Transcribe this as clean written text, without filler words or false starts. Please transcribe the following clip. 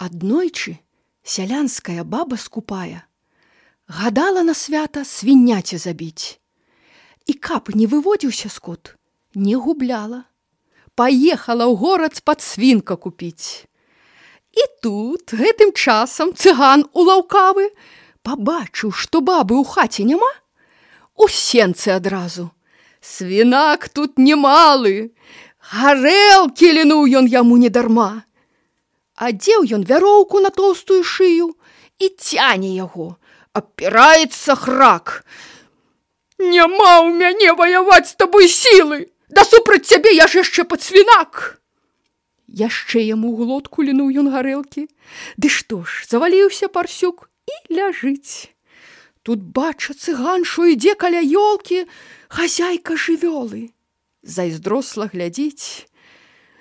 Аднойчы сялянская баба скупая гадала на свята свіняці забіць. І каб не выводзіўся скот, не губляла. Паехала ў горад з-пад свінка купіць. І тут гэтым часам цыган улаўкавы, пабачыў, што бабы ў хаце няма, у сенцы адразу. Свінак тут немалы, гарэлкі лінуў ён яму недарма. Адзеў ён вяроўку на тоўстую шыю і цяне яго, абпіраецца храк. «Няма ў мяне ваяваць з табой сілы! Да супраць цябе я ж яшчэ пацвінак!» Яшчэ яму ў глотку лінуў ён гарэлкі. Ды што ж, заваліўся парсюк і ляжыць. Тут бача цыган, што ідзе каля ёлкі хазяйка жывёлы. Зайздросла глядзіць.